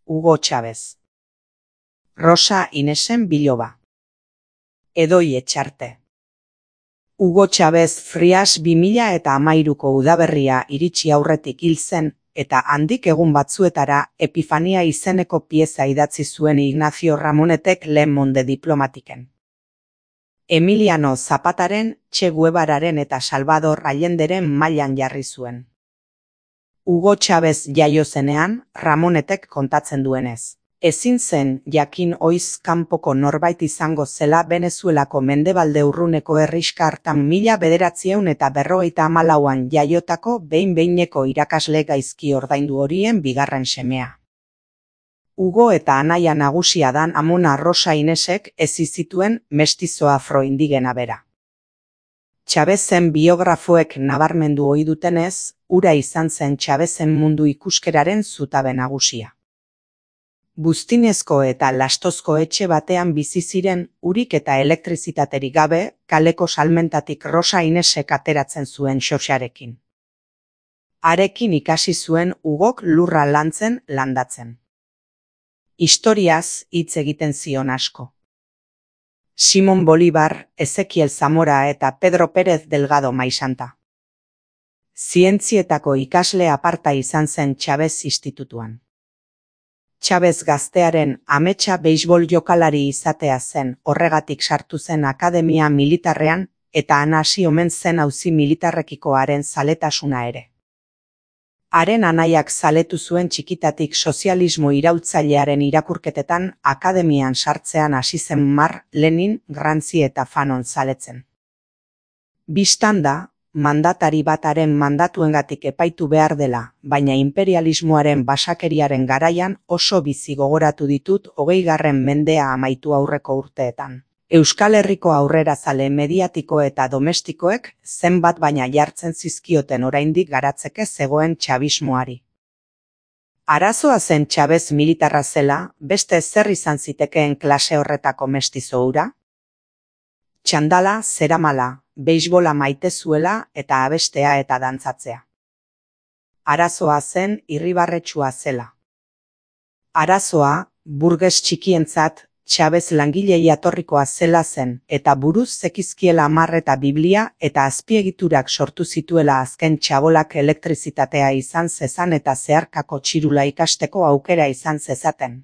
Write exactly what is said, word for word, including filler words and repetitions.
Hugo Chávez. Rosa Inesen biloba. Edoi Etxarte. Hugo Chávez Frias bi mila eta hamairuko udaberria iritsi aurretik hil zen, eta handik egun batzuetara Epifania izeneko pieza idatzi zuen Ignacio Ramonetek Le Monde diplomatiken. Emiliano Zapataren, Che Guevararen eta Salvador Allenderen mailan jarri zuen. Hugo Chávez jaio zenean, Ramonetek kontatzen duenez. Ezin zen jakin oiz kanpoko norbait izango zela Venezuelako mendebalde urruneko herrixka hartan mila bederatziehun eta berrogeita hamalauan jaiotako behin-behineko irakasle gaizki ordaindu horien bigarren semea. Hugo eta anaia nagusia dan amona Rosa Inesek ezi zituen mestizo afroindigena bera. Chávezen biografoek nabarmendu ohi dutenez, hura izan zen Chávezen mundu ikuskeraren zutabe nagusia. Buztinezko eta lastozko etxe batean bizi ziren, urik eta elektrizitaterik gabe, kaleko salmentatik Rosa Inesek ateratzen zuen xoxarekin. Harekin ikasi zuen Hugok lurra lantzen landatzen. Historiaz hitz egiten zion asko. Simon Bolívar, Ezekiel Zamora eta Pedro Pérez Delgado Maisanta. Zientzietako ikasle aparta izan zen Chávez institutuan. Chávez gaztearen ametsa beisbol jokalari izatea zen, horregatik sartu zen akademia militarrean, eta han hasi omen zen auzi militarrekiko haren zaletasuna ere. Haren anaiak zaletu zuen txikitatik sozialismo iraultzailearen irakurketetan akademian sartzean hasi zen Mar, Lenin, Gramsci eta Fanon zaletzen. Bistan da, mandatari bataren mandatuengatik epaitu behar dela, baina imperialismoaren basakeriaren garaian oso bizi gogoratu ditut hogeigarren mendea amaitu aurreko urteetan. Euskal Herriko aurrerazale mediatiko eta domestikoek zenbat baina jartzen zizkioten oraindik garatzeke zegoen txabismoari. Arazoa zen Chávez militarra zela, beste zer izan zitekeen klase horretako mestizo hura? Txandala, zeramala, beisbola maite zuela eta abestea eta dantzatzea. Arazoa zen irribarretsua zela. Arazoa, burges txikientzat, Chávez langilei jatorrikoa zela zen, eta buruz zekizkiela hamar eta Biblia eta azpiegiturak sortu zituela azken txabolak elektrizitatea izan zezan eta zeharkako txirula ikasteko aukera izan zezaten.